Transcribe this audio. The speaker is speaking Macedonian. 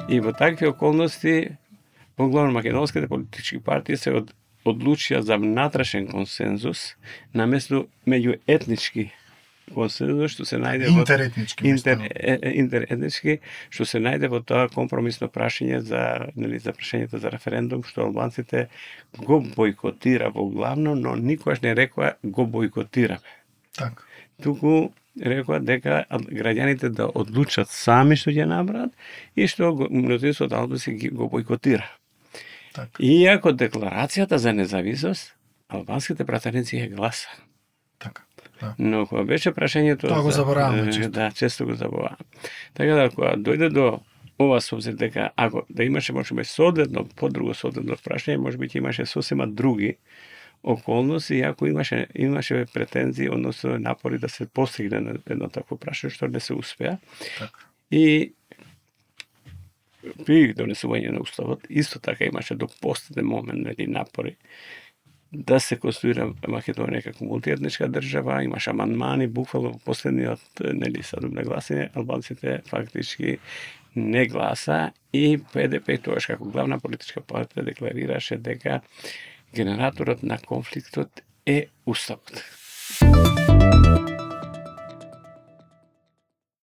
И во такви околности поглавно македонските политички партии се одлучија за внатрешен консензус наместо меѓуетнички консензус што се најде интеретнички што се најде во тоа компромисно прашање за прашањето за референдум што албанците го бойкотира во главно, но никогаш не рекоа го бойкотираме. Така. Туку рекоа дека граѓаните да одлучат сами што ќе направат и што мнозинството албанци го бойкотира. Так. Иако декларацијата за независност, албанските пратеници ја гласа. Така. Да. Но кога беше прашањето... Тоа го забораваме често. Да, често го забораваме. Така да, кога дојде до ова созет дека, ако да имаше, можеби, соодветно, подруго соодветно прашање, можеби ќе имаше сосема други околности, иако имаше претензии, односно напори да се постигне едно такво прашање, што не се успеа. Така. И при донесување на уставот, исто така имаше до последен момент напори да се конституира Македонија како мултиетничка држава, имаше амандмани, буквално во последниот садум на гласање, албанците фактички не гласа и ПДП тогаш како главна политичка партија декларираше дека генераторот на конфликтот е уставот.